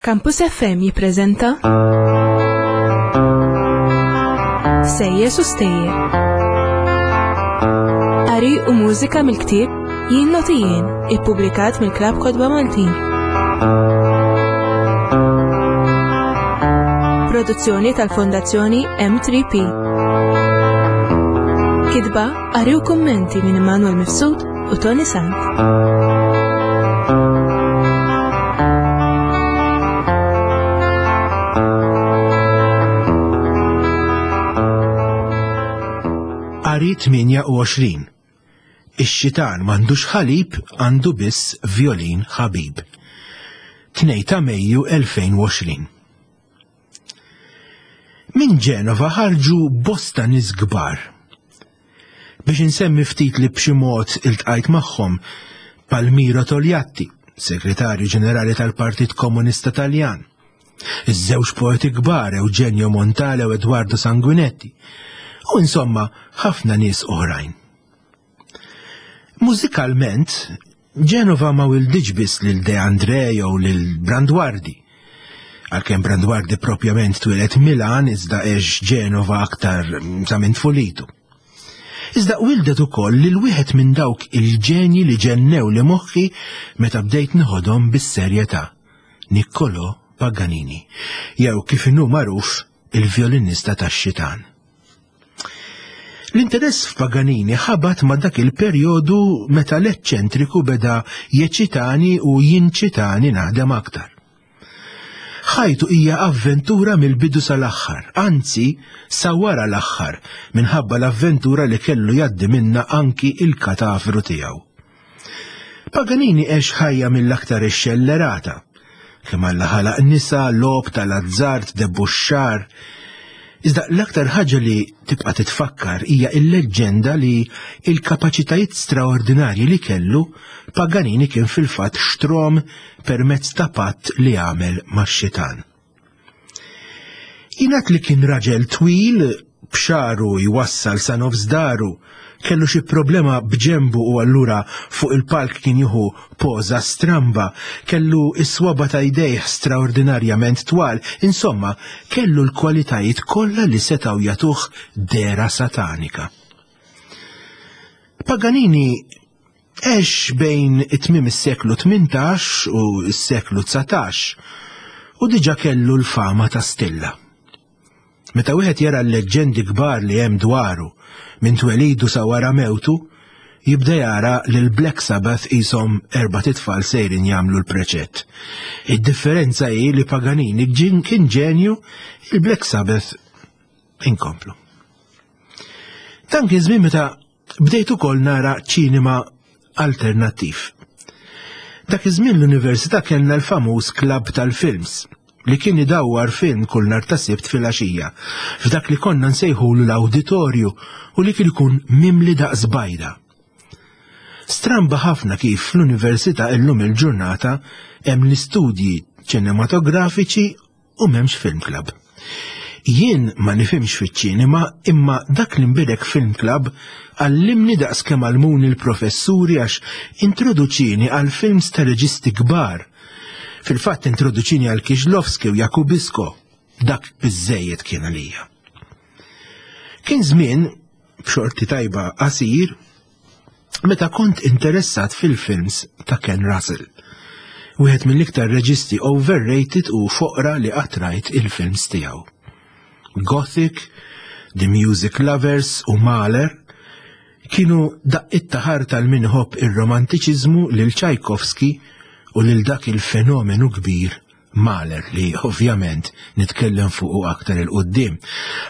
Campus FM jippreżenta Sejjes u Stejjer. Qari u mużika mill-ktieb Jien Noti Jien, ippubblikat mill-Klabb Kotba Maltin. Produzzjoni tal-Fondazzjoni M3P. Kitba, qari u kummenti minn Immanuel Mifsud u Tony Sant. Qari 28. Ix-xitan m'għandux ħalib għandu biss vjolin ħabib. 2 ta' Mejju 2020. Minn Ġenova ħarġu bosta nies kbar. Biex insemmi ftit li b'xi mod iltqajt magħhom, Palmiro Togliatti, Segretarju Ġenerali tal-Partit Komunista Taljan, iż-żewġ poeti kbar Eugenio Montale u Eduardo Sanguinetti, u insomma ħafna nies oħrajn. Mużikalment, Ġenova ma wilditx biss lil De André jew lil Branduardi. Għalkemm Branduardi propjament twieled Milan iżda għex Ġenova aktar sa minn tfulitu. Iżda wildet ukoll lil wieħed minn dawk il-ġenji li ġennew li moħħi meta bdejt neħodhom bis-serjetà, Niccolò Paganini, jew kif inhu magħruf il-vjolinista tax-xitan. L-interess f'Paganini ħabat ma' dak il-perjodu meta l-eċċentriku beda jeċitani u jinċitani naħdem aktar. Ħajtu hija avventura mill-bidu sal-aħħar, anzi sa wara l-aħħar, minħabba l-avventura li kellu jgħaddi minnha anki il-katavru tiegħu. Paganini għex ħajja mill-aktar ixxellerata. Kemm Alla ħalaq nisa, logħob tal-azzard, debbuxxar. Iżda l-aktar ħaġa li tibqa' titfakkar hija l-leġġenda li l-kapaċitajiet straordinarji li kellu Paganini kien fil-fatt xtrom permezz ta' patt li għamel max-xitan. Jingħad li kien raġel twil, b'xagħru jwassal sa nofs daru, kellu xi problema b'ġenbu u allura fuq il-palk kien jieħu poża stramba, kellu s-swaba' ta' jdejh straordinarjament twal, insomma, kellu l-kwalitajiet kollha li setgħu jagħtuh dehra satanika. Paganini Għex bejn it-tmiem is-seklu 18 u s-seklu 19 u diġà kellu l-fama ta' stilla. Meta wieħed jara l-leġġendi kbar li hemm dwaru minn twelidu sa wara mewtu, jibda jara li l-Black Sabbath qishom erbat itfal sejrin jagħmlu l-preċett. Id-differenza hi li Paganini kien ġenju, il-Black Sabbath inkomplu. Dan kien żmien meta Bdejt ukoll nara ċinema alternattiv. Dak iż-żmien l-università kellna l-famuż klabb tal-films li kien idawwar film kull nhar ta' Sibt filgħaxija f'dak li konna nsejħulu l-awditorju u li kien ikun mimli daqs bajda. Stramba ħafna kif fl-università illum il-ġurnata hemm l-istudji ċinematografiċi u m'hemmx film club. Jien ma nifhimx fiċ-ċinema imma dak li nbidek film club għallimni daqs kemm għallmuni l-professuri għax introduċini għal films ta' reġisti kbar. Fil-fatt introduċini għal Kieślowski u Jakubisko. Dak biżżejjed kien għalija. Kien żmien, b'xorti tajba qasir, meta kont interessat fil-films ta' Ken Russell. Wieħed mill-iktar reġisti overrated u foqra li qatt rajt il-films tiegħu. Gothic, The Music Lovers u Mahler kienu daqqiet ta' ħarta għal min iħobb ir-romantiċiżmu lil Tchaikovsky u lil dak il-fenomenu kbir Mahler li ovvjament nitkellem fuqu aktar 'il quddiem,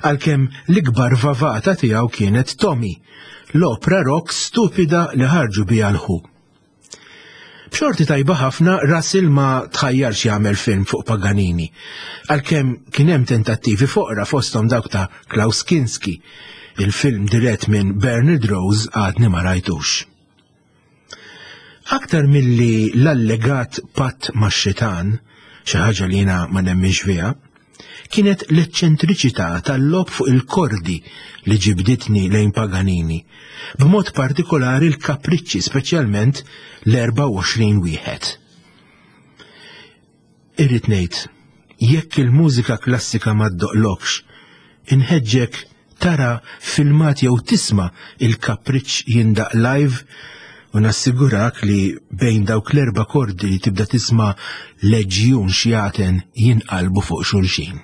għalkemm l-ikbar vavata tiegħu kienet Tommy, l-opra rock stupida li ħarġu biha l-Who. B'xorti tajba ħafna Russell ma tħajjarx jagħmel film fuq Paganini, għalkemm kien hemm tentattivi foqra fosthom dawk ta' Klaus Kinski. Il-film dirett minn Bernard Rose għadni ma rajtux. Aktar milli l-allegat patt max-xitan, xi ħaġa li jiena ma nemminx fiha, kienet l-eċċentriċità tal-logħob fuq il-kordi li ġibditni lejn Paganini, b'mod partikolari l-kapriċċi speċjalment l-24 wieħed. Irrid ngħid, jekk il-mużika klassika ma ddoqlokx, inħeġġek tara filmat jew tisma' il-kapriċċ jindaqq live u nassigurak li bejn dawk l-erba' kordi li tibda tisma' leġjun xjaten jinqalbu fuq xulxin.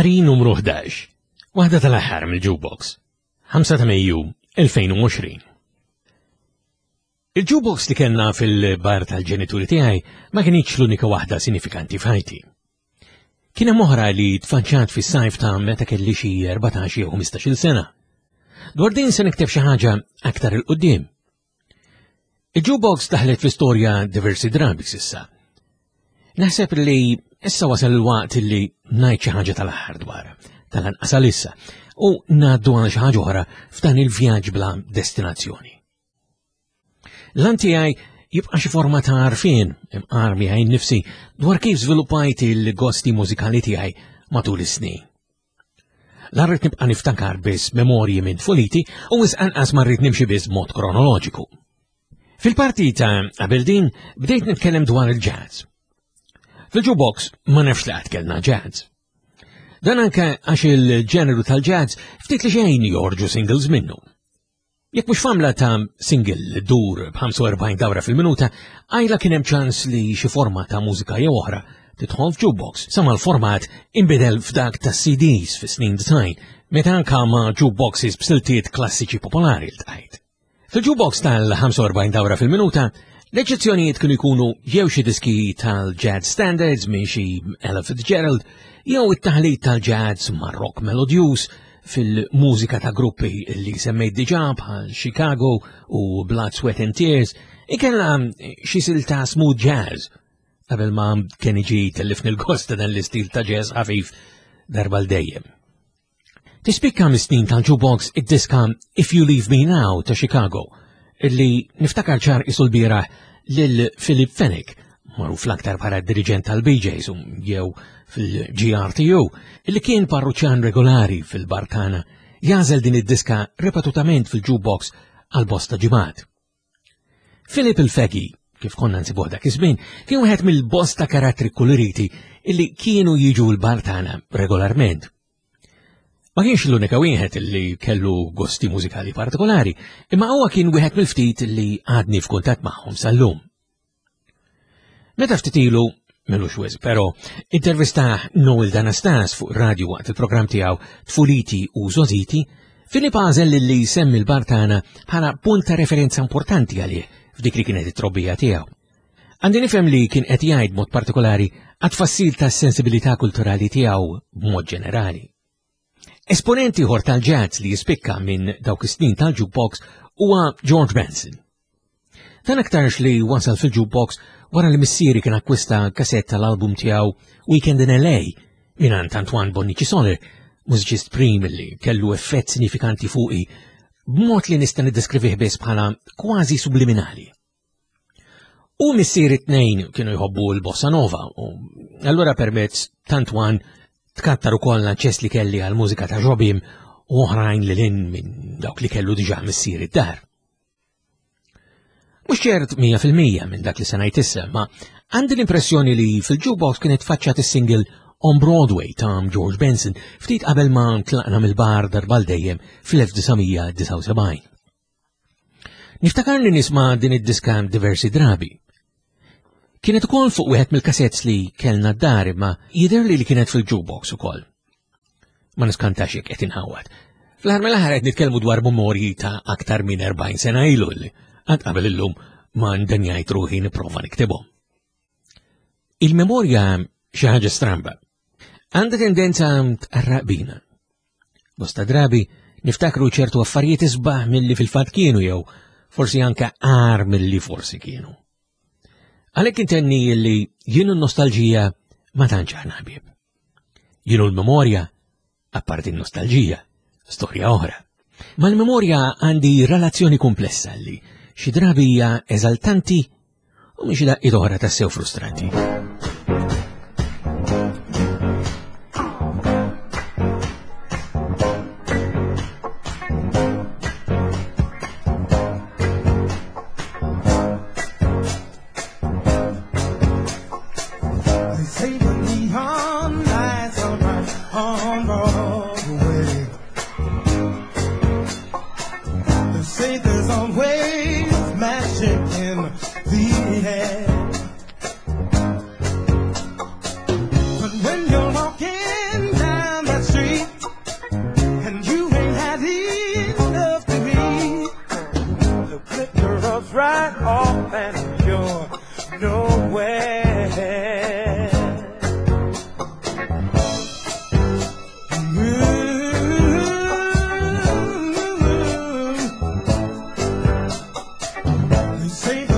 Qari numru 11, waħda tal-aħħar mill-Jukebox, 5 ta' Mejju 2020. Il-jukebox li kellna fil-bar tal-ġenituri tiegħi ma kienx l-unika waħda sinifikanti f'ħajti. Kien hemm oħra li tfaċċat fis-sajf ta' meta kelli xi 14 jew 15-il sena. Dwar din se nikteb xi ħaġa aktar il-qudiem. Il-jukebox daħlet fl-istorja diversi drabi sissa. Naħseb li issa wasal il-waqt li ngħid xi ħaġa tal-aħħar dwar, tal-anqas għalissa, u ngħaddu għal xi ħaġa oħra f'dan il-vjaġġ bla destinazzjoni. L-għan tiegħi jibqa' xi forma ta' għarfien imqar miegħi nnifsi dwar kif żviluppajt il-gosti mużikali tiegħi matul is-snin. La rrid nibqa' niftakar biss memorji minn tfuliti u wisq anqas ma rrid nimxi biss b'mod kronoloġiku. Fil-parti ta' qabel din bdejt nitkellem dwar il-jazz. Fil-jukebox ma nafx li qatt kellna jazz. Dan anke għax il-ġeneru tal-jazz ftit li xejn jorġu singles minnu. Jekk mhux f'għamla ta' single li ddur b'45 dawra fil-minuta, għajla kien hemm ċans li xi forma ta' mużika jew oħra tidħol f'jukebox sa ma l-format inbidel f'dak tas-CDs fis-snin 90 meta anka ma' jukeboxes b'siltiet klassiċi popolari ltqajt. Fil-jukebox tal-45 dawra fil-minuta, l-eċċezzjonijiet kienu jkunu jew xi diski tal-jazz standards minn xi Ella Fitzgerald jew it-taħlit tal-jazz ma' rock melodjuż fil-mużika ta' gruppi li semmejt diġà bħal Chicago u Blood, Sweat and Tears, ikella xi silta smooth jazz qabel ma Kenny G tellifni l-gost ta' dan l-istil ta' jazz ħafif darba l dejjem. Tispikka mis-snin tal-jukebox id-diska If You Leave Me Now ta' Chicago, illi niftakar ċar isu l-bieraħ lil Philip Fenech, magħruf l-aktar bħala diriġent tal-BJs um, jew fil-GRTU, li kien parruċċan regolari fil-bar tagħna, jagħżel din id-diska ripetutament fil-jukebox għal bosta ġimgħat. Philip il-Fegi, kif konna nsibuh dak iż-żmien, kien wieħed mill-bosta karattri kuluriti illi kienu jiġu l-bar tagħna regolarment. Ma kienx l-unika wieħed li kellu gosti mużikali partikolari, imma huwa kien wieħed mill-ftit li għadni f'kuntatt magħhom sal-lum. Meta ftit ilu, milux wisq però, intervistah Noel Danastas fuq radio waqt il-programm tiegħu Tfuliti u Żgħożiti, Filip għażel li jsemmi l-bar tagħna bħala punt ta' referenza importanti għalih f'dik li kienet it-trobbija tiegħu. Għandi nifhem li kien qed jgħid mod partikolari għat-tfassil tas-sensibilità kulturali tiegħu b'mod ġenerali. Esponent ieħor tal-jazz li jispikka minn dawk is-snin tal-jukebox huwa George Benson. Dan aktarx li wasal fil-jukebox wara li missieri kien akkwista kasett tal-album tiegħu Weekend in LA mingħand Antoine Bonnici Soler, mużiċist prim li kellu effett sinifikanti fuqi b'mod li nista' niddeskrivih biss bħala kważi subliminali. U missier it-tnejn kienu jħobbu l-bossa nova u allura permezz t'Antoine tkattar ukoll l-aċċess li kelli għal mużika ta' Jobim u oħrajn li lin minn dawk li kellu diġà missier id-dar. Mhux ċert 100% minn dak li se ngħid issa, ma għandi l-impressjoni li fil-jukebox kienet faċċat is-single On Broadway ta' George Benson ftit qabel ma tlaqna mill-bar darba dejjem fl-1979. Niftakar li nisma' din id-diska diversi drabi. Kienet ukoll fuq wieħed mill-kasetts li kellna d-dar imma jidher li li kienet fil-jukebox ukoll. Ma niskantax jekk qed inħawad. Fl-aħħar mill-aħħar qed nitkellmu dwar memorji ta' aktar minn 40 sena ilu li għad qabel illum ma ndenjajt ruħi nipprova niktibhom. Il-memorja xi ħaġa stramba. Għandha tendenza tqarraq bina. Bosta drabi niftakru ċertu affarijiet isbaħ milli fil-fatt kienu jew forsi anka għar milli forsi kienu. Għalhekk intenni li jien n-nostalġija ma tantx aħna ħbieb. Jien l-memorja, apparti n-nostalġija, storja oħra. Mal-memorja għandi relazzjoni komplessa li xi drabi hija eżaltanti u minn xi daqqiet oħra tassew frustranti. Say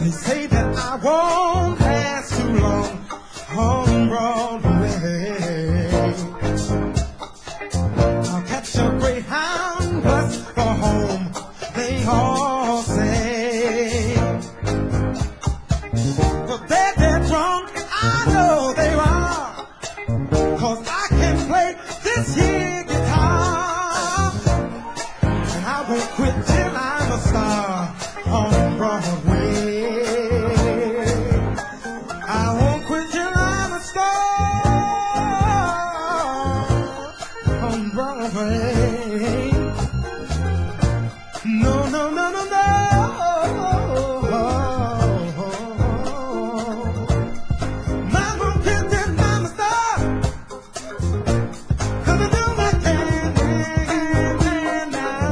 They say that I won't last too long on Broadway. I'll catch a Greyhound bus for home, they all say. But they're dead wrong, I know they are. Cause I can play this here guitar. And I won't quit till I'm a star on Broadway. I won't quit till I'm a star on Broadway. No, no, no, no, no. I won't quit till I'm a star. 'Cause I do my can, now.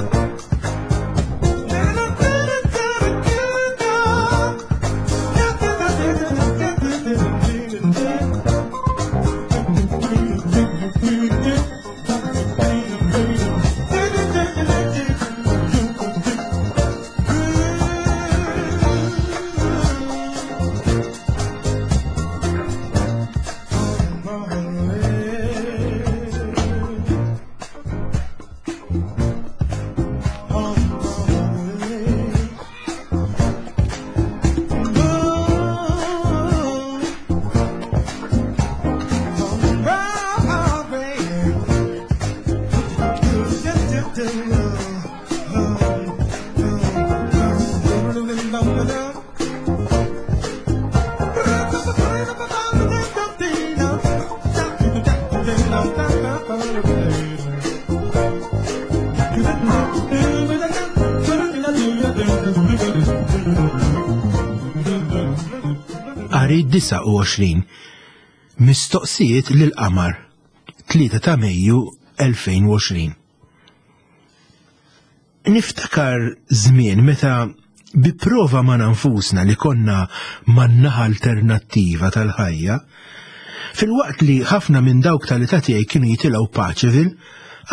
Qari 29 Mistoqsijiet lill-Qamar 3 ta' Mejju 2020 Niftakar żmien meta bi prova ma' nfusna li konna man-naħa alternattiva tal-ħajja, filwaqt li ħafna minn dawk tal-età tiegħi kienu jitilgħu Paceville,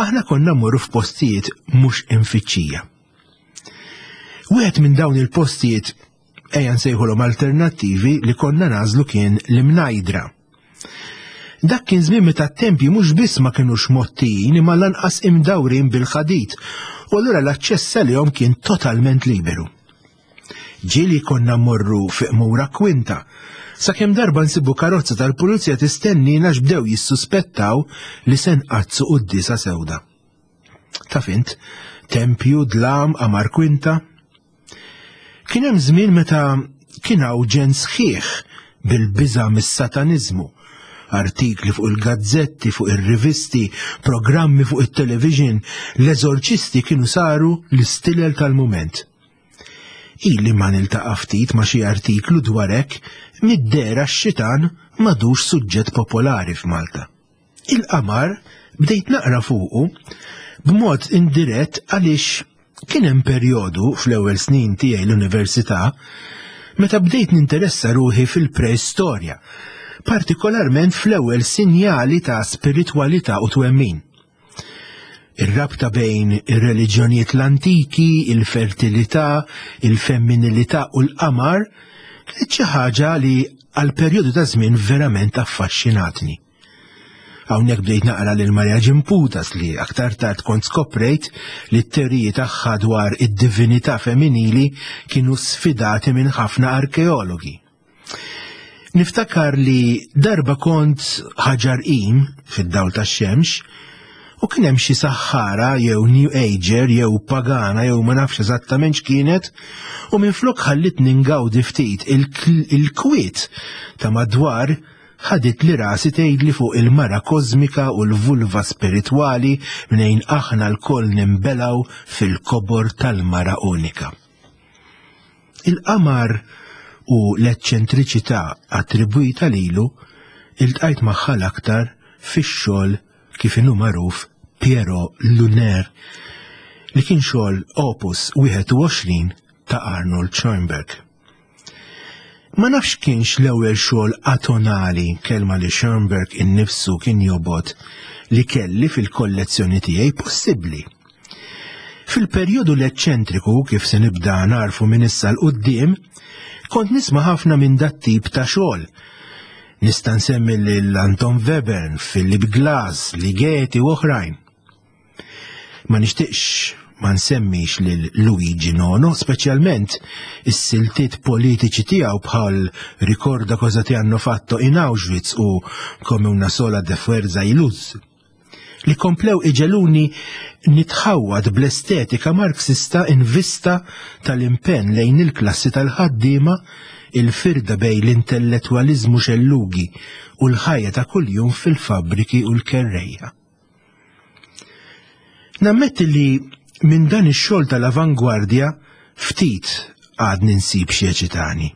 aħna konna mmorru f'postijiet mhux imfittxija. Wieħed minn dawn il-postijiet ejja nsejħulhom alternattivi li konna nagħżlu kien l-Imnajdra. Dak kien żmien meta t-tempji mhux biss ma kinux mgħottijin imma lanqas imdawrin bil-ħadid u allura l-aċċess għalihom kien totalment liberu. Ġieli konna mmorru fi Qmura Kwinta, sakemm darba nsibu karozza tal-pulizija tistennina għax bdew jissuspettaw li se nqaddsu quddiesa sewda. Taf int, tempju, dlam, qamar kwinta. Kien hemm żmien meta kien hawn ġenn sħiħ bil-biża' mis-sataniżmu. Artikli fuq il-gazzetti, fuq ir-rivisti, programmi fuq it-television, l-eżorċisti kienu saru l-istilel tal-mument. Ili ma niltaqa' ftit ma' xi artiklu dwar hekk mid-dehra x-xitan m'għadux suġġett popolari f'Malta. Il-qamar bdejt naqra fuqu b'mod indirett għaliex kien hemm perjodu fl-ewwel snin tiegħi l-università meta bdejt ninteressa ruħi fil-preistorja, partikolarment fl-ewwel sinjali ta' spiritwalità u twemmin. Ir-rabta bejn ir-reliġjonijiet l-antiki, il-fertilità, il-femminilità u l-qamar kienet xi ħaġa li għal perjodu ta' żmien verament affaxxinatni. Hawnhekk bdejt naqra lil Maria Ġimputas li aktar tard kont skoprejt li t-teoriji tagħha dwar id-divinità femminili kienu sfidati minn ħafna arkeologi. Niftakar li darba kont ħaġar qim fid-dawl tax-xemx u kien hemm xi saħħara jew New Ager jew pagana jew ma nafx eżattament x'kienet u minflok ħallitni ngawdi ftit il-kwiet ta' madwar ħaditli rasi tgħidli fuq il-mara kożmika u l-vulva spiritwali mnejn aħna lkoll ninbelgħu fil-kobor tal-mara unika. Il-qamar u l-eċċentriċità attribwita lilu iltqajt magħha l-aktar fix-xogħol kif inhu magħruf Pierrot Lunaire li kien xogħol Opus 21 ta' Arnold Schoenberg. Ma nafx kienx l-ewwel xogħol atonali, kelma li Schoenberg innifsu kien jobgħod, li kelli fil-kollezzjoni tiegħi possibbli. Fil-perjodu l-eċċentriku, kif se nibda narfu minn issa 'l quddiem, kont nisma' ħafna minn dat-tip ta' xogħol. Nista' nsemmi lil Anton Webern, Philip Glass, Ligeti u oħrajn. Ma nixtieqx ma nsemmix lil Luigi Nono, speċjalment is-siltiet politiċi tiegħu bħal Ricorda cosa ti hanno fatto in Auschwitz u Come una sola de fuerza y luz, li komplew iġegħluni nitħawwad bl-estetika Marxista in vista tal-impenn lejn il-klassi tal-ħaddiema, il-firda bejn l-intellettwaliżmu xellugi u l-ħajja ta' kuljum fil-fabbriki u l-kerrejja. Nammetti li minn dan ix-xogħol tal-avangwardja ftit għadni nsib xi eċitani.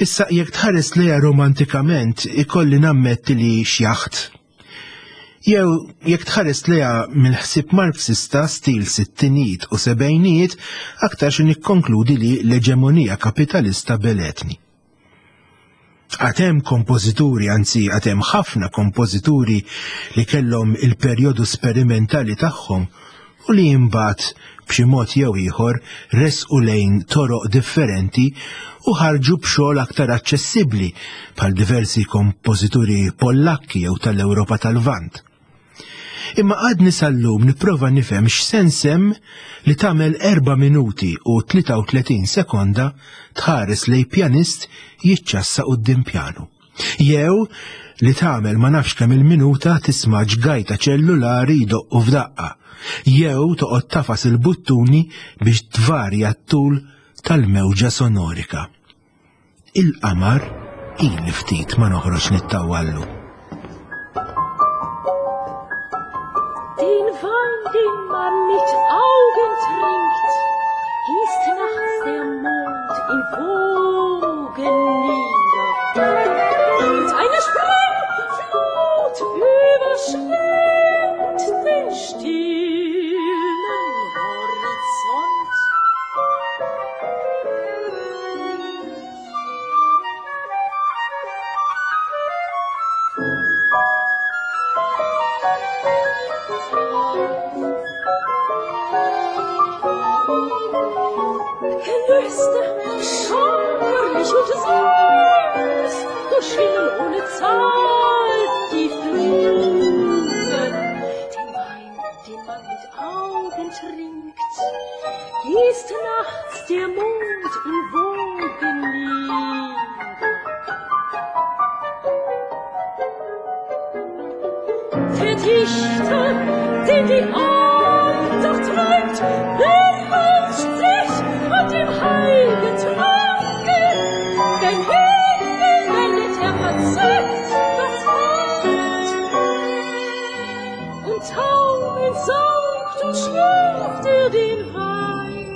Issa jekk tħares lejha romantikament ikolli nammetti li xjaħt. Jew jekk tħares lejha mill-ħsieb Marxista stil sittinijiet u sebgħinijiet aktarx nikkonkludi li l-eġemonija kapitalista beletni. Għad hemm kompożituri, anzi għad hemm ħafna kompożituri li kellhom il-perjodu sperimentali tagħhom u li imbagħad b'xi mod jew ieħor resqu lejn toroq differenti u ħarġu b'xogħol aktar aċċessibbli bħal diversi kompożituri Pollakki jew tal-Ewropa tal-Lvant. Imma għadni sal-lum nipprova nifhem x'sens hemm li tagħmel 4 minuti u 33 sekonda tħares lejn pjanist jiċċassa quddiem pjanu. Jew li tagħmel ma nafx kemm il-minuta tisma' ġgajta ċellulari jdoqqu f'daqqa. Jew toqgħod tafas il-buttuni biex tvarja t-tul tal-mewġa sonorika. Il-qamar ili ftit ma noħroġ nittawallu. Den Wein, den man mit Augen trinkt, gießt nachts der Mond in Wogen nieder. Und eine Sprengflut überschwemmt den stillen Horizont. Gelüste, schauerlich und süß, durchschwimmen ohne Zahl die Fluten. Den Wein, den man mit Augen trinkt, gießt nachts der Mond in Wogen nieder. Der Dichter, den die Andacht treibt, beherrscht sich an dem heiligen Tranke. Denn Himmel wendet er verzückt das Haupt und taumelnd saugt und schlürft er den Wein,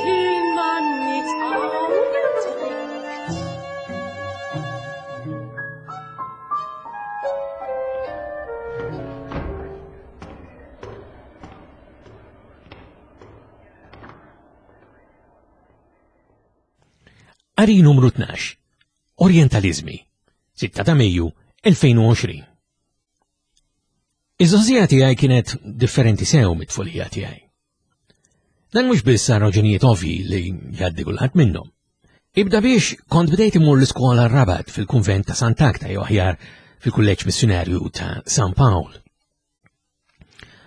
den man mit Augen trinkt. Qari numru 12. Orientalizmi. 6 ta' Mejju 2020. Iż-żgħożija tiegħi kienet differenti sew mit-tfulija tiegħi. Dan mhux biss għal raġunijiet ovvji li jgħaddi kulħadd minnhom. Ibda biex kont bdejt imur l-iskola Rabat fil-kunvent ta' Sant'Agta jew aħjar fil-kulleġġ missjunarju ta' San Pawl.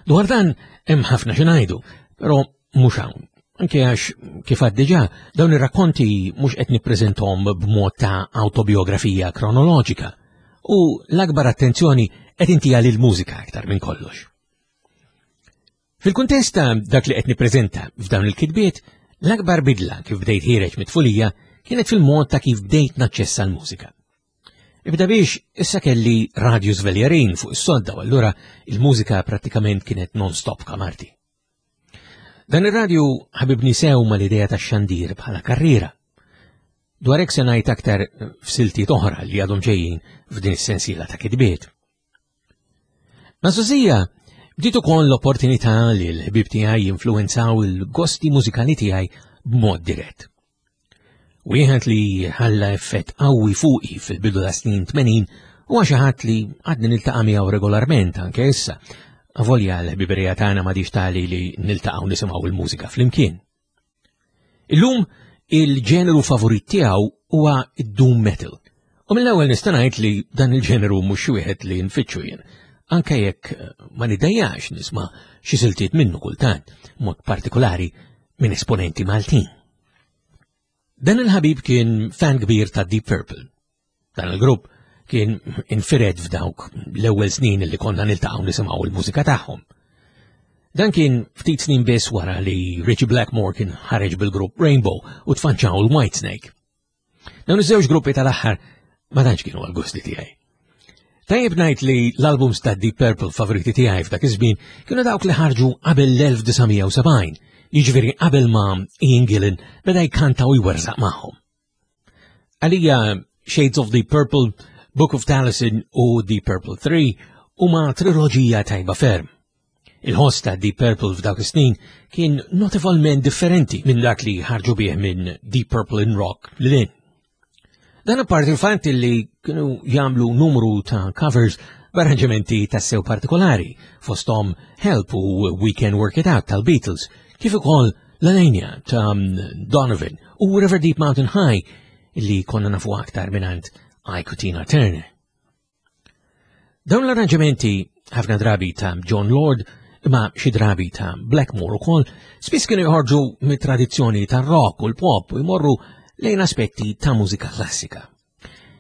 Dwar dan hemm ħafna xi ngħidu, però mhux hawn. Anke għax kif għad diġà dawn ir-rakkonti mhux qed nippreżenthom b'mod ta' awtobiografija kronoloġika u l-akbar attenzjoni qed intija lill-mużika aktar minn kollox. Fil-kuntest ta' dak li qed nippreżenta f'dawn il-kitbiet, l-akbar bidla kif bdejt ħiereġ mit-tfulija kienet fil-mod ta' kif bdejt naċċessa l-mużika. Ibda biex issa kelli radju żveljarin fuq is-sodda u allura il-mużika prattikament kienet non-stop kamarti. Dan ir-radju ħabibni sew mal-idea tax-xandir bħala karriera. Dwar hekk se ngħid aktar f'siltiet oħra li għadhom ġejjin f'din is-sensiela ta' kitbiet. Ma' Sosija bdiet ukoll l-opportunità li l-ħbieb tiegħi jinfluwenzaw il-gosti mużikali tiegħi b'mod dirett. Wieħed li ħalla effett qawwi fuqi fil-bidu ta' snin 80 huwa xi ħadd li għadni niltaqa' miegħu regolarment anke issa. Avolja l-ħbiberija tagħna m'għadix tali li niltaqgħu nisimgħu l-mużika flimkien. Illum il-ġeneru favorit tiegħu huwa d-doom metal. U mill-ewwel nista' ngħid li dan il-ġeneru mhux xi wieħed li nfittxu jien, anke jekk eh, ma nidejjax nisma' xi siltiet minnu kultant, mod partikolari minn esponenti Maltin. Dan il-ħabib kien fan kbir ta' Deep Purple. Dan il-grupp kien infired f'dawk l-ewwel snin li konna niltaqgħu nisimgħu l-mużika tagħhom. Dan kien ftit snin biss wara li Richie Blackmore kien ħareġ bil-grupp Rainbow u tfanċaw l-White Snake. Dawn iż-żewġ gruppi tal-aħħar ma tantx kienu għal-gusti tiegħi. Tajjeb ngħid li l-albums ta' Deep Purple favoriti tiegħi f'dak iż-żmien kienu dawk li ħarġu qabel l-1970, jiġifieri qabel ma Ian Gillan beda jkanta u jwerżaq magħhom. Għalija Shades of the Purple, Book of Taliesin u The Purple 3 huma triloġija tajba ferm. Il-ħoss ta' Deep Purple f'dawk is-snin kien notevolment differenti minn dak li ħarġu bih minn Deep Purple in Rock lil Dan apparti il-fatt li kienu jagħmlu numru ta' covers b'arranġamenti tassew partikolari fosthom Help u We Can Work It Out tal-Beatles, kif ukoll L-Alenia ta' Donovan u River Deep Mountain High li konna nafu aktar minant Ike Tina Turner. Dawn l-arranġamenti ħafna drabi ta' John Lord imma xi drabi ta' Blackmore ukoll spiss kienu joħorġu mit-tradizzjoni tar-rock u l-pop u jmorru lejn aspetti ta' mużika klassika.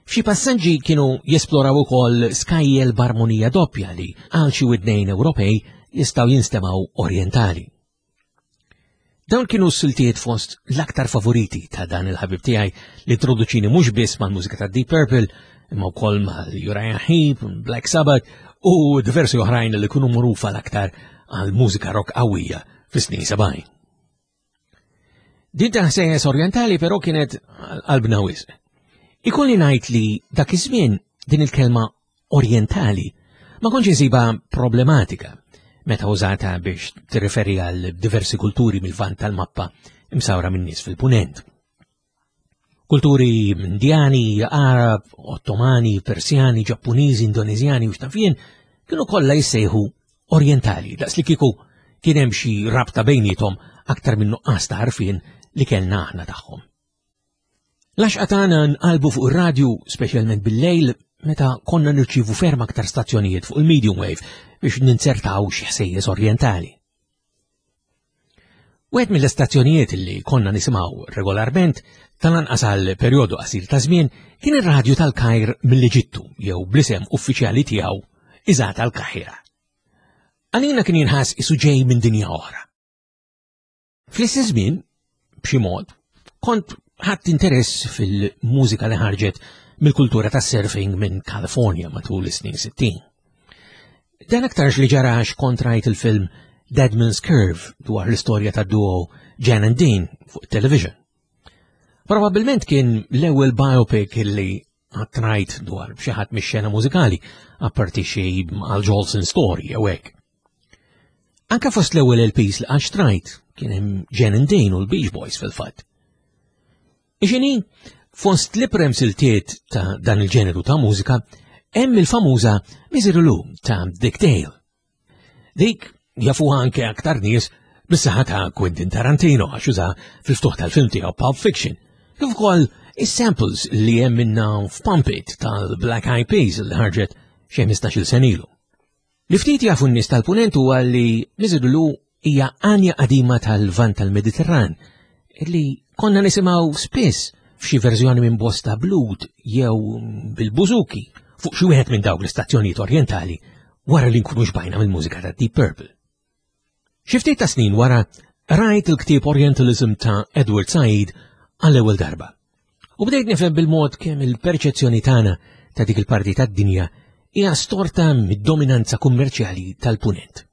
F'xi passaġġi kienu jesploraw ukoll skajjel b'armonija doppja li għal xi widnejn Ewropej jistgħu jinstemgħu orjentali. Dawn kienu s-siltiet fost l-aktar favoriti ta' dan il-ħabib tiegħi li introduċini mhux biss mal-mużika ta' Deep Purple, imma wkoll mal-Uriah Heep, Black Sabbath u diversi oħrajn li kienu magħrufa l-aktar għal mużika rock qawwija fis-snin 70. Din ta' ħsejjes orjentali però kienet qalbna wisq. Ikolli ngħid li dak iż-żmien din il-kelma orjentali ma kontx insibha problematika meta użata biex tirriferi għal diversi kulturi mill-vant tal-mappa imsawra minn nies fil-punent. Kulturi Indjani, Arab, Ottomani, Persjani, Ġappuniżi, Indonezjani u xtafjen kienu kollha jissejħu orjentali, daqs li kieku kien hemm xi rabta bejniethom aktar minn nuqqas ta' għarfien li kellna aħna tagħhom. L-għaxqa tagħna nqalbu fuq ir-radju, speċjalment bil-lejl, meta konna nirċievu ferm aktar stazzjonijiet fuq il-medium wave biex ninzertaw xi ħsejjes orjentali. Wieħed mill-istazzjonijiet li konna nisimgħu regolarment tal-anqas għal perjodu qasir ta' żmien kien ir-radju tal-Kajr mill-Eġittu jew bl-isem uffiċjali tiegħu Iżat al-Kahira. Għalina kien jinħass isu ġej minn dinja oħra. Fl-istess żmien, b'xi mod, kont ħadd interess fil-mużika li ħarġet mill-kultura tas-surfing minn California matul is-snin 60. Dan aktarx li ġara għax kont rajt il-film Dead Man's Curve dwar l-istorja ta' duo Jan and Dean fuq television. Probabilment kien l-ewwel biopic li qatt rajt dwar xi ħadd mix-xena mużikali, apparti xi Al Jolson story jew hekk. Anka fost l-ewwel LPs li qatt xtrajt kien hemm Jan and Dean u l-Beach Boys fil-fatt. Ixini, fost l-iprem siltiet ta' dan il-ġeneru ta' mużika, hemm il-famuża Misery ta' Dick Dale. Dik jafuha anke aktar nies bis-saħħa ta' Quentin Tarantino għax uża fil-ftuħ tal-film tiegħu Pulp Fiction. Kif ukoll is-samples li hemm minna f'Pump It tal-Black Eyed Peas li ħarġet xi 15-il sena ilu. Li ftit jafu n-nies tal-Punent huwa li Miżidulu hija għanja qadima tal-Lvant tal-Mediterran li konna nisimgħu spiss f'xi verżjoni minn bosta blut jew bil-bużuki fuq xi wieħed minn dawk l-istazzjonijiet orjentali wara li nkunu xbajna mill-mużika ta' Deep Purple. Xi ftit ta' snin wara rajt il-ktieb Orientalism ta' Edward Said għall-ewwel darba. U bdejt nifhem bil-mod kemm il-perċezzjoni tagħna ta' dik il-parti tad-dinja hija storta mid-dominanza kummerċjali tal-punent.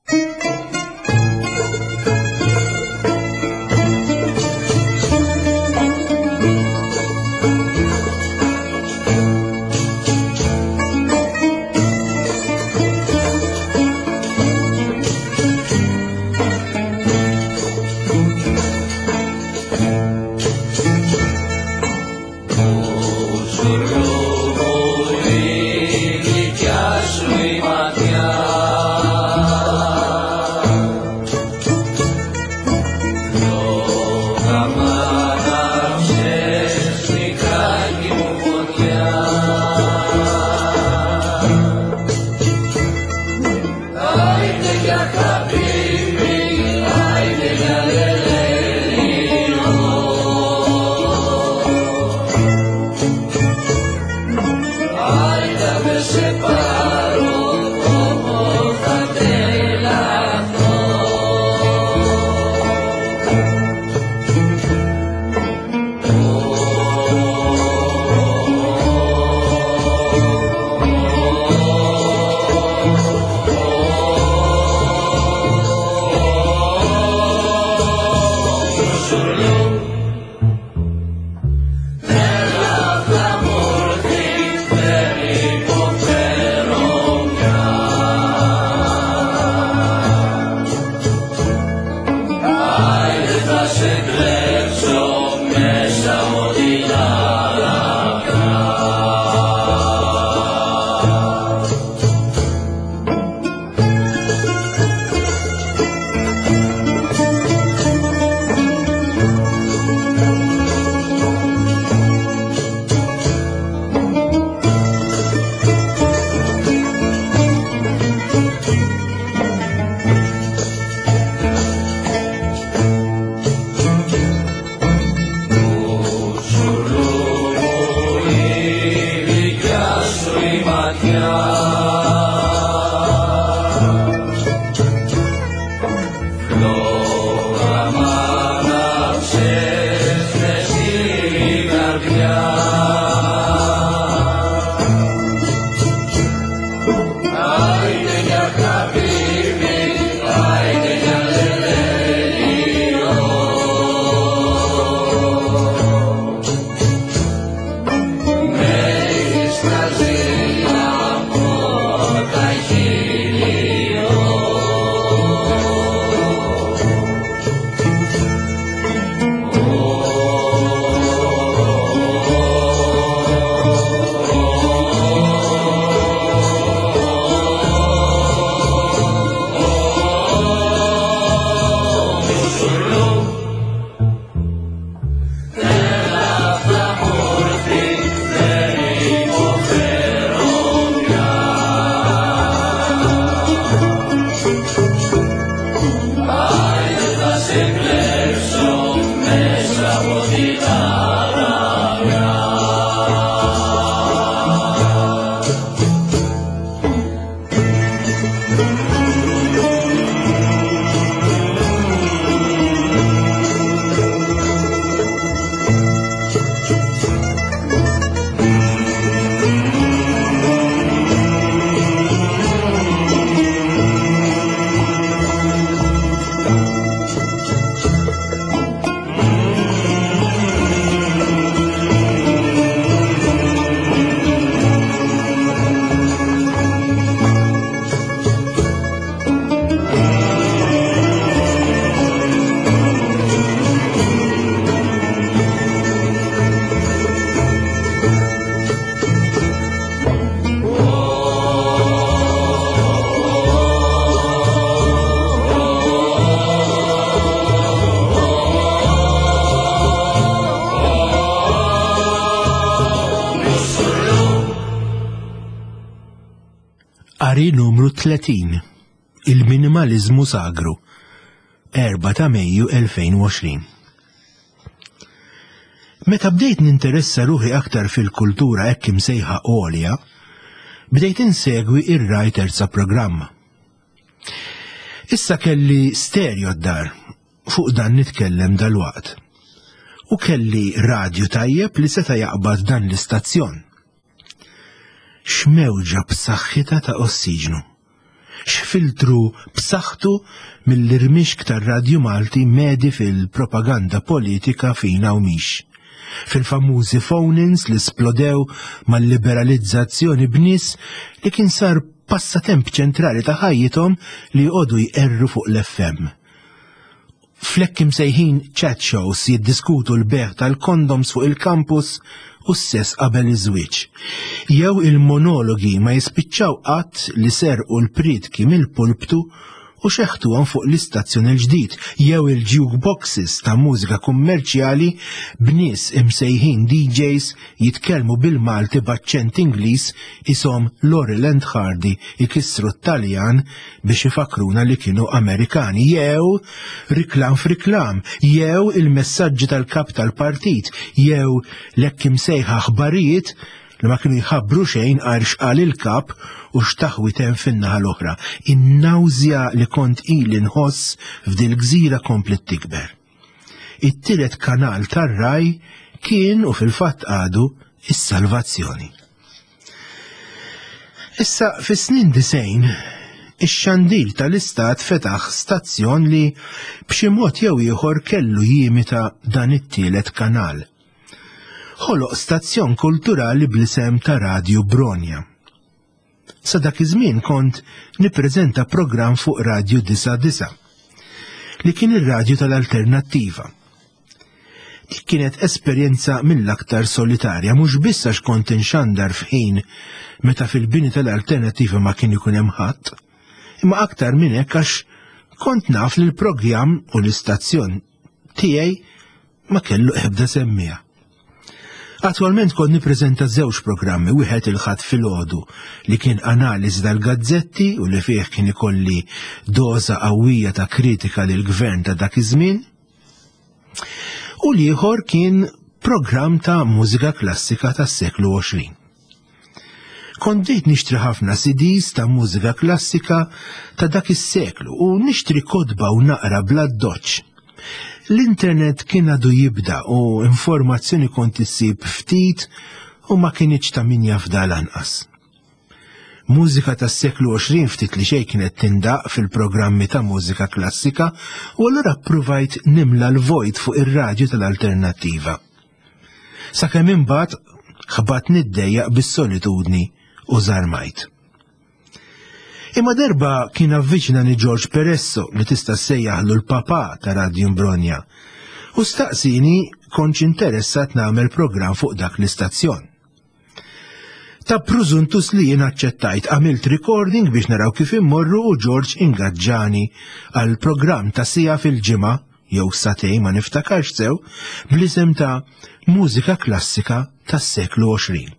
Qari numru 30 Il-minimaliżmu sagru 4 ta' Mejju 2020 Meta bdejt ninteressa ruħi aktar fil-kultura hekk imsejħa għolja, bdejt insegwi ir-Rai Terza Programma. Issa kelli stereo d-dar, fuq dan nitkellem dalwaqt. U kelli radju tajjeb li seta' jaqbad dan l-istazzjon. X'mewġa b'saħħitha ta' ossiġnu! X'filtru b'saħħtu mill-irmixk tar-Radju Malti medi fil-propaganda politika fina u mhix. Fil-famużi phone-ins li splodew mal-liberalizzazzjoni b'nies li kien sar passatemp ċentrali ta' ħajjithom li joqogħdu jqerru fuq l-FM. Fl-hekk imsejħin chat shows jiddiskutu l-bejgħ tal-kondoms fuq il-kampus u s-sess qabel iż-żwieġ. Jew il-monologi ma jispiċċaw qatt li serqu l-prietki mill-pulptu u xeħtuhom fuq l-istazzjon il-ġdid, jew il-jukeboxes ta' mużika kummerċjali b'nies imsejħin DJs jitkellmu bil-Malti b'aċċent Ingliż ishom Laurel and Hardy ikissru t-Taljan biex ifakkruna li kienu Amerikani, jew riklam f'riklam, jew il-messaġġi tal-kap tal-partit, jew l-hekk imsejħa aħbarijiet li ma kienu jħabbru xejn għajr x'qal il-kap u x'taħwit hemm fin-naħa l-oħra. In-nawżja li kont ili nħoss f'dil-gżira kompliet tikber. It-tielet kanal tar-Rai kien u fil-fatt għadu is-salvazzjoni. Issa fis-snin disejn, ix-xandir tal-istat fetaħ stazzjon li b'xi mod jew ieħor kellu jimita dan it-tielet kanal. Ħoloq stazzjon kulturali bl-isem ta' Radju Bronja. Sa dak iż-żmien kont nippreżenta programm fuq Radju 99 li kien ir-radju tal-Alternattiva. Dik kienet esperjenza mill-aktar solitarja, mhux biss għax kont inxandar f'ħin meta fil-bini tal-Alternattiva ma kien ikun hemm ħadd, imma aktar minn hekk għax kont naf li l-programm u l-istazzjon tiegħi ma kellu ebda semmiegħa. Attwalment kont nippreżenta żewġ programmi, wieħed il-Ħadd filgħodu li kien analiżi tal-gazzetti u li fih kien ikolli doża qawwija ta' kritika lill-gvern ta' dak iż-żmien, u l-ieħor kien programm ta' mużika klassika tas-seklu 20. Kont bdejt nixtri ħafna CDs ta' mużika klassika ta' dak is-seklu u nixtri kotba u naqra bla doċ. L-internet kien għadu jibda u informazzjoni kont issib ftit u ma kinitx ta' min jafda lanqas. Mużika tas-seklu 20 ftit li xejn kienet tindaq fil-programmi ta' mużika klassika u allura ppruvajt nimla l-vojt fuq ir-radju tal-Alternattiva. Sakemm imbagħad ħbat niddejjaq bis-solitudni u żarmajt. Imma darba kien avviċinani George Peresso li tista' ssejjaħlu l-papà ta' Radju Mbronja u staqsini kontx interessat nagħmel programm fuq dak l-istazzjon. Ta' prużuntus li jien aċċettajt, għamilt recording biex naraw kif immorru u George ingaġġani għal programm ta' sija fil-ġimgħa jew satej ma niftakarx sew bl-isem ta' Mużika Klassika tas-seklu 20.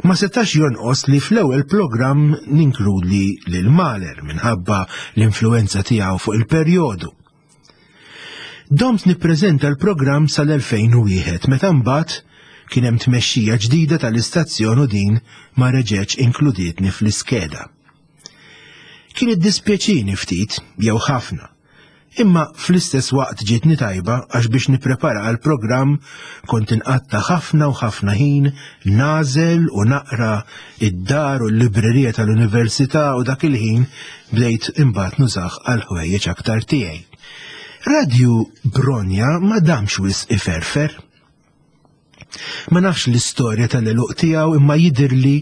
Ma setax jonqos li fl-ewwel programm ninkludi lil Mahler minħabba l-influenza tiegħu fuq il-perjodu. Domt nippreżenta l-programm sal-2001 meta mbagħad kien hemm tmexxija ġdida tal-istazzjon u din ma reġgħetx inkludietni fl-iskeda. Kien iddispjaċini ftit, jew ħafna, imma fl-istess waqt ġietni tajba għax biex nipprepara għall-programm kont inqatta' ħafna u ħafna ħin nagħżel u naqra id-dar u l-librerija tal-università u dak il-ħin bdejt imbagħad nużah għal ħwejjeġ aktar tiegħi. Radju Bronja ma damx wisq iferfer. Ma nafx l-istorja tal-eluq tiegħu imma jidhirli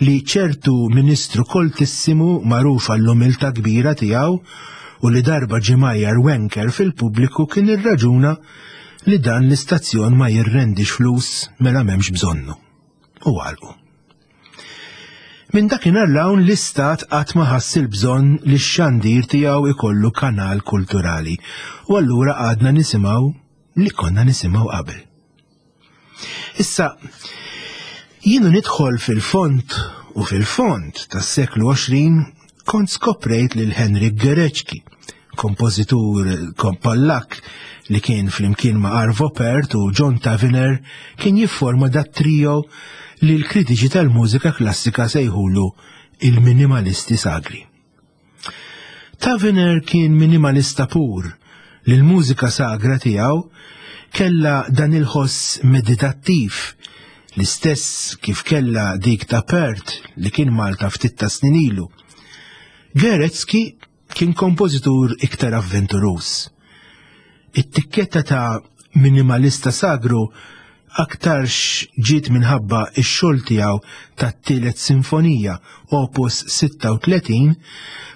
li ċertu ministru koltissimu magħruf għall-umiltà kbira tiegħu u li darba ġie mgħajjar wanker fil-pubbliku kien irraġuna li dan l-istazzjon ma jirrendix flus mela m'hemmx bżonnu. U għalqu. Minn dakinhar 'l hawn l-Istat qatt ma ħass il-bżonn li x-xandir tiegħu jkollu kanal kulturali u allura għadna nisimgħu li konna nisimgħu qabel. Issa, jienu nidħol fil-fond u fil-fond tas-seklu 20 kont skoprejt lil Henrik Gerecki, kompożitur Pollak li kien flimkien ma' Arvo Pärt u John Tavener kien jifforma dat trio li l-kritiċi tal-mużika klassika sejħulu il-minimalisti sagri. Tavener kien minimalista pur li l-mużika sagra tiegħu kellha dan il-ħoss meditattiv l-istess kif kellha dik ta' Pärt li kien Malta ftit ta' snin ilu. Gerecki kien kompożitur iktar avventuruż. It-tikketta ta' minimalista sagru aktarx ġiet minħabba x-xogħol tiegħu tat-Tielet Sinfonija, Opus 36,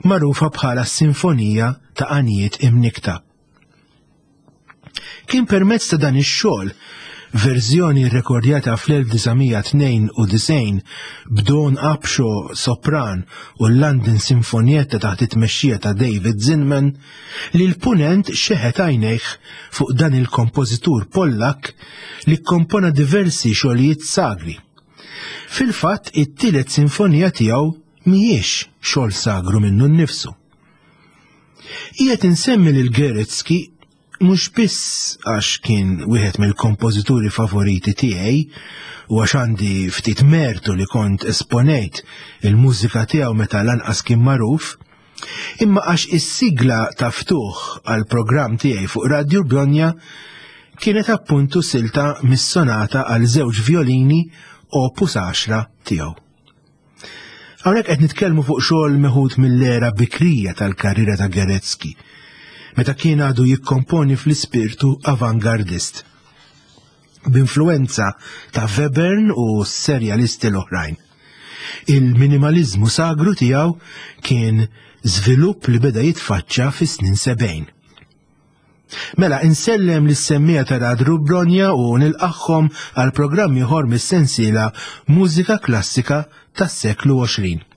magħrufa bħala s-Sinfonija ta' Għanjiet Imnikkta. Kien permezz ta' dan ix-xogħol, verżjoni rrekordjata fl-1992 b'Dawn Upshaw sopran u l-London Sinfonietta taħt it-tmexxija ta' David Zinman, li l-Punent xeħet għajnejh fuq dan il-kompożitur Pollakk li kkompona diversi xogħlijiet sagri. Fil-fatt, it-tielet sinfonija tiegħu mhijiex xogħol sagru minnu nnifsu. Qiegħed insemmi lil Goretzky mhux biss għax kien wieħed mill-kompożituri favoriti tiegħi u għax għandi ftit mertu li kont esponejt il-mużika tiegħu meta lanqas kien magħruf, imma għax is-sigla ta' ftuħ għall-programm tiegħi fuq Radju Bologna kienet appuntu silta mis-sonata għal żewġ violini opus 10 tiegħu. Hawnhekk qed nitkellmu fuq xogħol meħud mill-era bikrija tal-karriera ta' Goretzky, meta kien għadu jikkomponi fl-ispirtu avangardist, b'influwenza ta' Webern u s-serjalisti l-oħrajn. Il-minimaliżmu sagru tiegħu kien żvilupp li beda jitfaċċa fis-snin 70. Mela insellem lis-semmija ta' Radru Bronja u nilqagħhom għal programm ieħor mis-sensiela Mużika Klassika tas-seklu 20.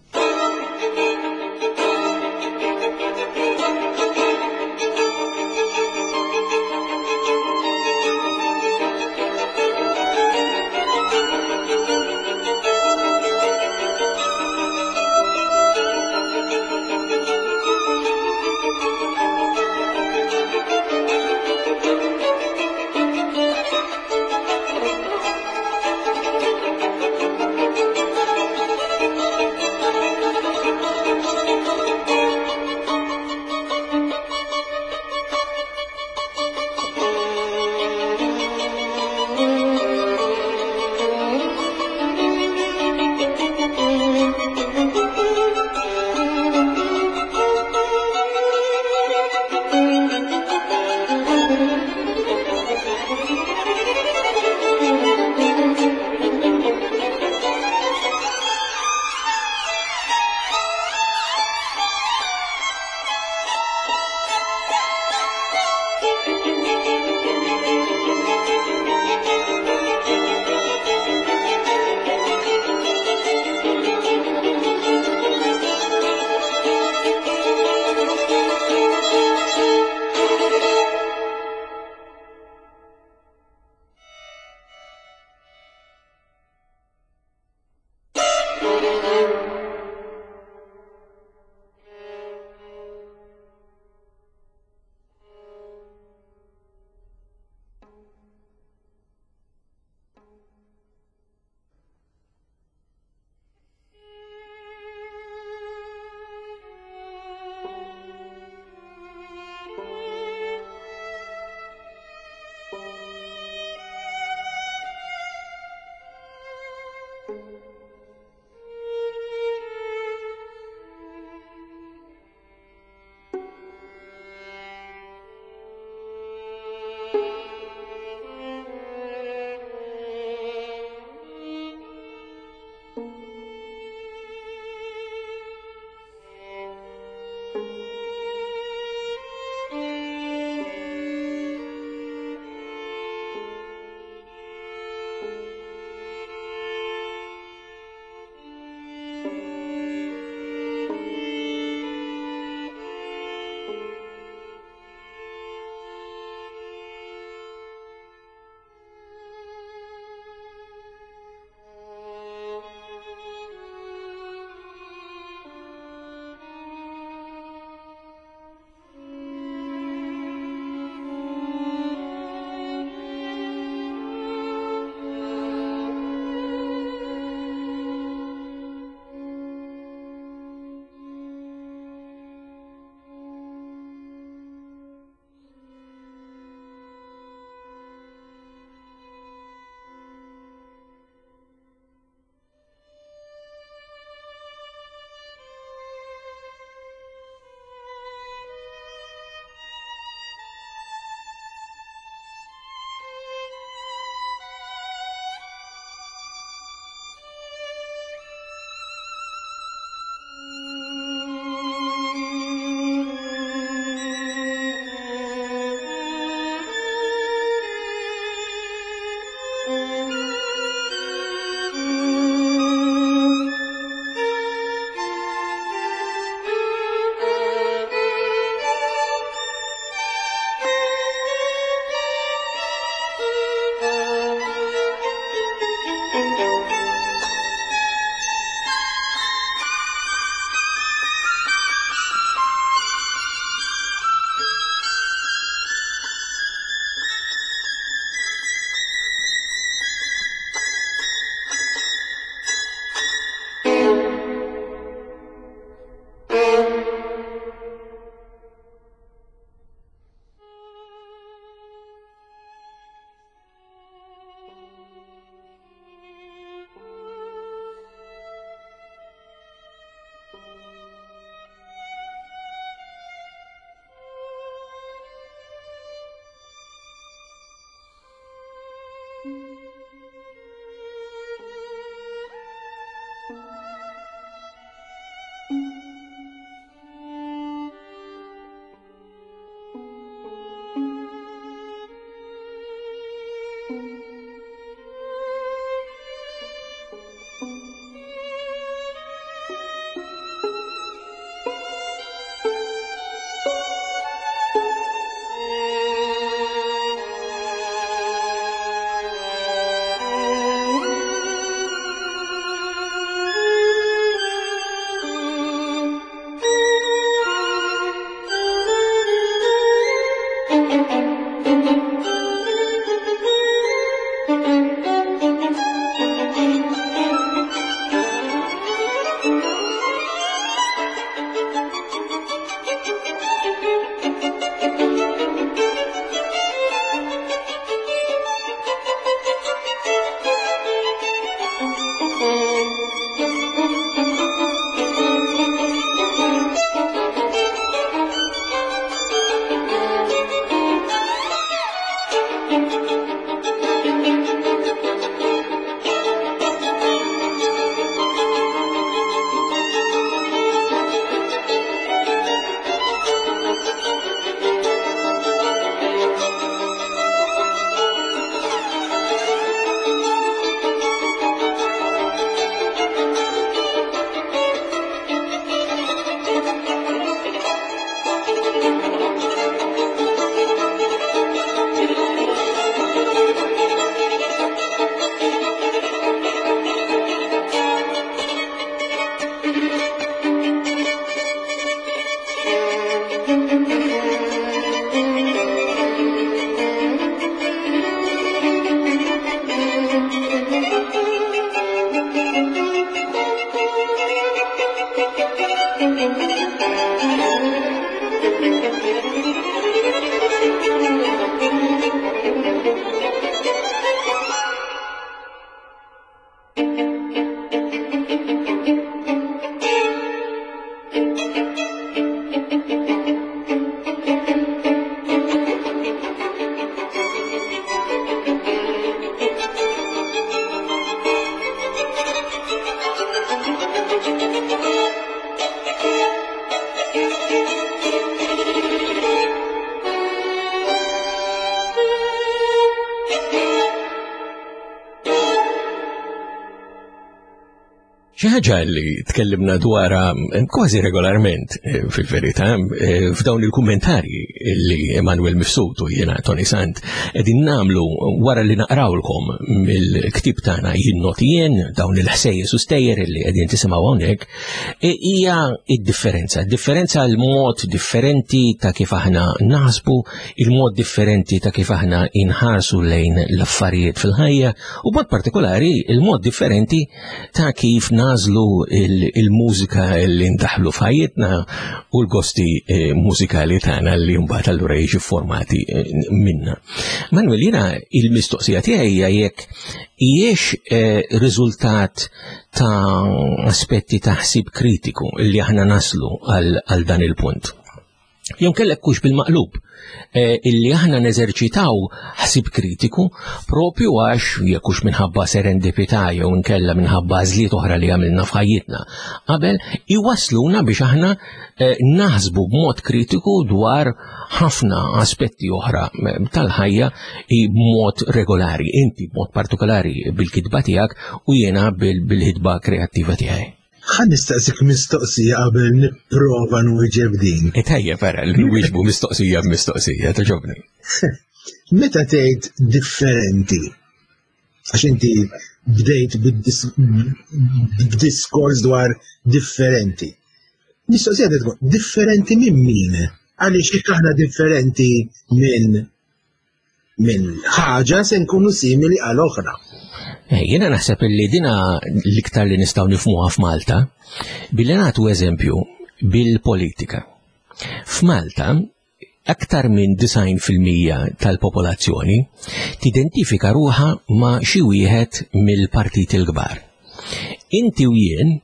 Xi ħaġa li tkellimna dwarha eh, kważi regolarment eh, fil-verità eh, f'dawn il-kummentarji li Emanuel Mifsud u jiena Tony Sant qegħdin nagħmlu wara li naqrawlkom mill-ktieb tagħna jien noti jien dawn il-ħsejjes u stejjer li qegħdin tisimgħu hawnhekk hija id-differenza. Differenza l-mod differenti ta' kif aħna naħsbu, il-mod differenti ta' kif aħna inħarsu lejn l-affarijiet fil-ħajja u b'mod partikolari il-mod differenti ta' kif nażlu il-mużika li ndaħlu f'ħajjitna u l-gosti eh, mużikali tagħna li mbagħad allura jiġu formati eh, minna. Manuel, jiena il-mistoqsija tiegħi hija jekk hijiex eh, riżultat ta' aspetti ta' ħsieb kritiku li aħna naslu għal dan il-punt. Jew kellek kux bil-maqlub, eh, illi aħna neżerċitaw ħsib kritiku propju għax jekk hux minħabba serendipità jew inkella minħabba għażliet oħra li għamilna f'ħajjitna. Qabel iwasluna biex aħna eh, naħsbu b'mod kritiku dwar ħafna aspetti oħra eh, tal-ħajja b'mod regolari, inti b'mod partikolari bil-kitba tiegħek u jiena bil-ħidba kreattiva tiegħi. Ħa nistaqsik mistoqsija qabel nipprova nwieġeb din. E tajjeb ara li nwieġbu mistoqsija b'mistoqsija, toġobni. Meta tgħid differenti, għax inti bdejt b'diskors dwar differenti. Mistoqsija tkun differenti minn min? Għaliex jekk aħna differenti minn minn ħaġa se nkunu simili għal oħra. Eh, jiena naħseb li dina l-iktar li nistgħu nifhmuha f'Malta billi nagħtu eżempju bil-politika. F'Malta aktar minn 90% tal-popolazzjoni tidentifika ruħa ma' xi wieħed mill-partiti l-kbar. Inti u jien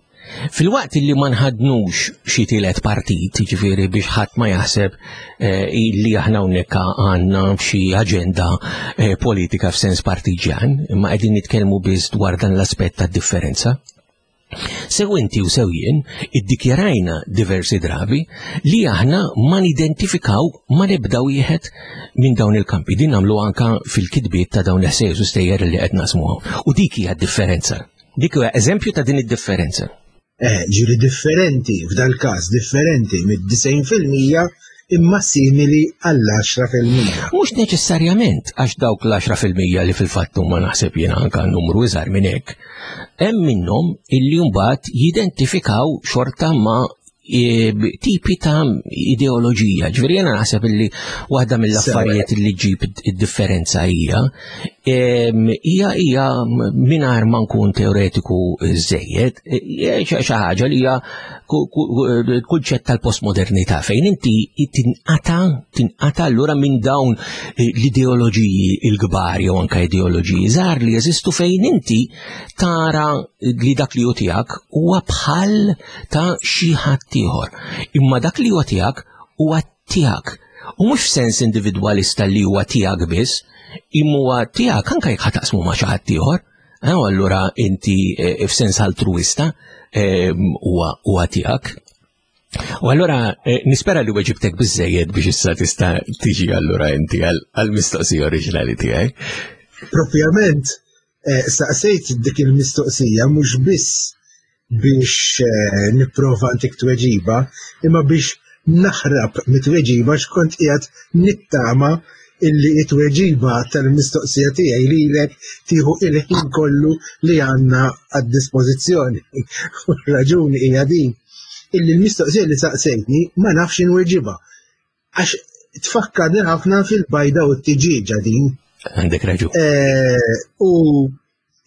Filwaqt li ma nħadnux xi tielet partit, jiġifieri biex ħadd ma jaħseb eh, li aħna hawnhekk għandna xi aġenda eh, politika f'sens partiġjan, imma qegħdin nitkellmu biss dwar dan l-aspett tad-differenza. Sew inti u sew jien iddikjarajna diversi drabi li aħna ma nidentifikaw ma nibda wieħed minn dawn il-kampi. Din nagħmlu anka fil-kitbiet ta' dawn l-ħsejjes u stejjer li qed naqsmuhom. U dik hija d-differenza. Dik huwa eżempju ta' din id-differenza. Eh, ġiri differenti, f'dal każ differenti mid-90% imma simili għall-10%. Mhux neċessarjament għax dawk l-10% li fil-fatt huma naħseb jiena anka numru iżgħar minn hekk, hemm minnhom illi mbagħad jidentifikaw xorta ma' tipi ta' ideoloġija. Ġifieri jiena naħseb illi waħda mill-affarijiet li ġib id-differenza hija hija hija mingħajr ma nkun teoretiku żejjed, xi ħaġa li hija kunċett tal-postmodernità fejn inti tinqata tinqata allura minn dawn l-ideoloġiji l-kbar jew anke ideoloġiji żgħar li jeżistu fejn inti tara li dak li hu tiegħek huwa bħal ta' xi ħadd ieħor. Imma dak li huwa tiegħek huwa tiegħek. U mhux f'sens individwalista li huwa tiegħek biss, imma huwa tiegħek anke jekk ħataqsmu ma' xi ħadd ieħor. Eh, u allura inti eh, f'sens altruista eh, huwa tiegħek. U allura nispera li weġibtek biżejjed biex issa tista' tiġi allura inti għall-mistoqsija oriġinali tiegħi. Propjament, saqsejt dik il-mistoqsija mhux biss biex eh, nipprova ntik tweġiba, imma biex naħrab mit-tweġiba x'kont qiegħed nittama illi it-tweġiba tal-mistoqsija tiegħi lilek tieħu il-ħin kollu li għandna għad-dispożizzjoni. U raġuni hija din illi l-mistoqsija li saqsejtni ma nafx inweġibha. Għax tfakkarni ħafna fil-bajda u t-tiġieġa din. Għandek raġun. Eh, u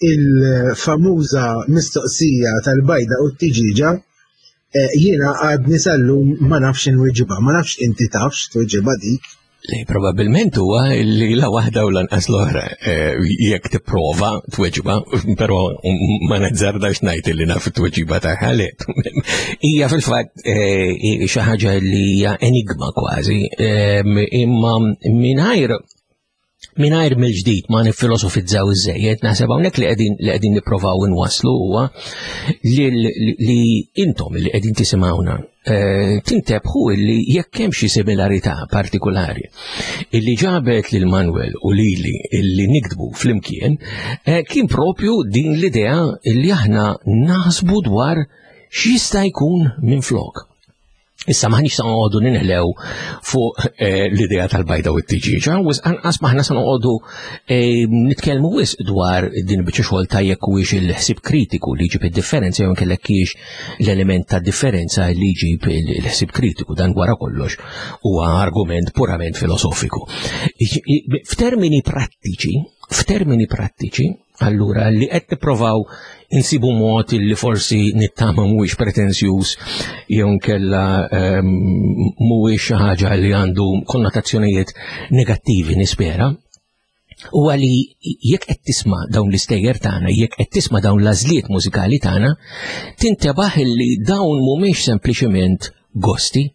il-famuża mistoqsija tal-bajda u t-tiġieġa eh, jiena għadni sal-lum ma nafx inweġibha, ma nafx inti tafx tweġibha dik. Li probabbilment huwa li la waħda u lanqas l-oħra eh, jekk tipprova tweġiba, però ma nazzardax ngħid li naf it-tweġiba tagħha li hija fil-fatt eh, xi ħaġa li hija enigma kważi, eh, imma mingħajr mingħajr mill-ġdid ma nifilosofizzaw iżejjed, naħseb hawnhekk li qegħdin li qegħdin nipprovaw inwasslu huwa li, li intom li qegħdin tisimgħuna eh, tintebħu li jekk hemm xi similarità partikolari illi ġabet lil Manuel u lili illi niktbu flimkien eh, kien propju din l-idea illi aħna naħsbu dwar x'jista' jkun minflok. Issa maħniex sa noqogħdu ninħlew fuq eh, l-idea tal-bajda u t-tiġiġa, u anqas maħna sa noqogħdu eh, nitkellmu wisq dwar din biċċa xogħol ta' jekk huwiex il-ħsieb kritiku li jġib id-differenza jew inkellek kiex l-element ta' differenza li jġib il-ħsieb kritiku dan wara kollox huwa argument purament filosofiku. F'termini prattiċi, f'termini prattiċi, Allura li qed nipprovaw insibu mod li forsi nittama mhuwiex pretenzjuż jew nkella ehm, mhuwiex xi ħaġa li għandu konnotazzjonijiet negattivi nispera, huwa li jekk qed tisma' dawn l-istejjer tagħna, jekk qed tisma' dawn l-għażliet mużikali tagħna, tintebaħ li dawn mhumiex sempliċement gosti,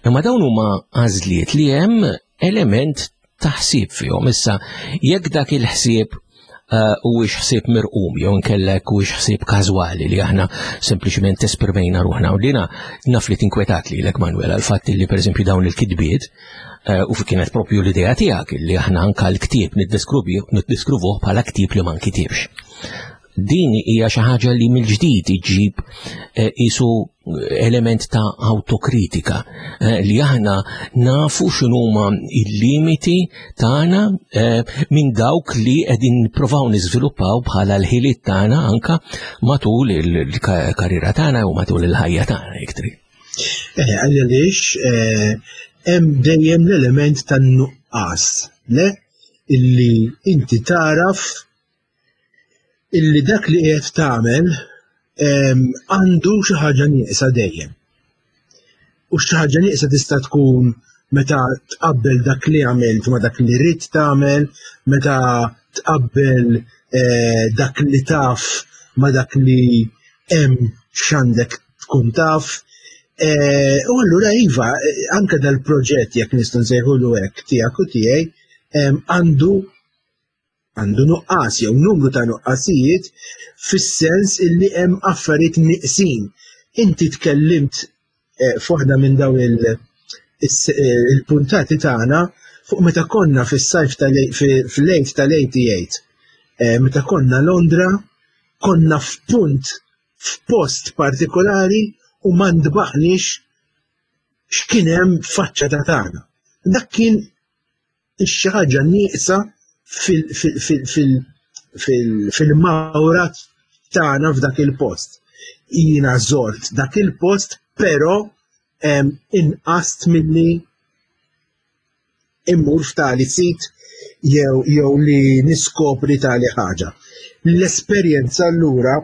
imma dawn huma għażliet li hemm element ta' ħsieb fihom. Issa, jekk dak il-ħsieb eh, huwiex ħsieb mirqum jew nkellek huwiex ħsieb każwali li aħna sempliċement esprimejna ruħna u dina naf li tinkwetat lilek Manuel għal fatt li pereżempju dawn il-kitbiet eh, u kienet propju l-idea tiegħek li aħna anka l-ktieb niddeskrivuh bħala ktieb li ma nkitibx. Din hija xi ħaġa li mill-ġdid iġġib eh, isu element ta' autokritika eh, li aħna nafu x'inhuma il-limiti tagħna eh, minn dawk li qegħdin nippruvaw niżviluppaw bħala l-ħiliet tagħna anka matul il-karriera tagħna u matul il-ħajja tagħna jekk trid. Eh, għaliex hemm dejjem l-element tan-nuqqas, le? Illi inti taraf illi dak li qiegħed tagħmel għandu xi ħaġa nieqsa dejjem. U xi ħaġa nieqsa tista' tkun meta tqabbel dak li għamilt ma dak li rrid tagħmel, meta tqabbel eh, dak li taf ma dak li hemm x'għandek tkun taf. Eh, u allura iva, eh, anke dal-proġett jekk nistgħu nsejħulu hekk tiegħek u tiegħi għandu għandu nuqqas jew numru ta' nuqqasijiet fis-sens illi hemm affarijiet nieqsin. Inti tkellimt eh, f'waħda minn dawn eh, il-puntati tagħna fuq meta konna fis-sajf fil-lejt tal-88, eh, meta konna Londra, konna f'punt f'post partikolari u ma ndbaħniex x'kien hemm faċċata tagħna. Dak kien xi ħaġa nieqsa fil-mawra tagħna f'dak il-post. Jiena żort dak il-post Però inqast milli immur f'tali sit jew jew li niskopri tali ħaġa. L-esperjenza allura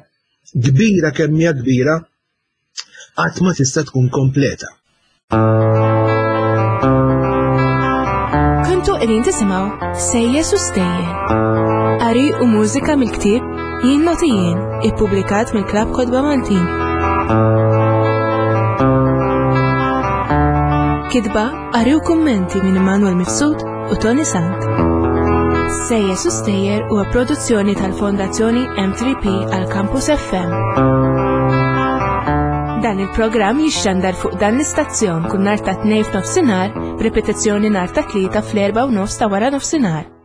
kbira kemm hija kbira qatt ma tista' tkun kompleta. Kontu qegħdin tisimgħu Sejjes u Stejjer. Qari u mużika mill-ktieb Jien Noti Jien, ippubblikat mill-Klabb Kotba Maltin. Kitba, qari u kummenti minn Immanuel Mifsud u Tony Sant. Sejjes u Stejjer huwa produzzjoni tal-Fondazzjoni M3P għal Campus FM. Dan il-programm jixxandar fuq dan l-istazzjon kull nhar ta' tnejn f'nofsinhar, b'ripetizzjoni nhar ta' tlieta fl-erba' u nofs ta' wara nofsinhar.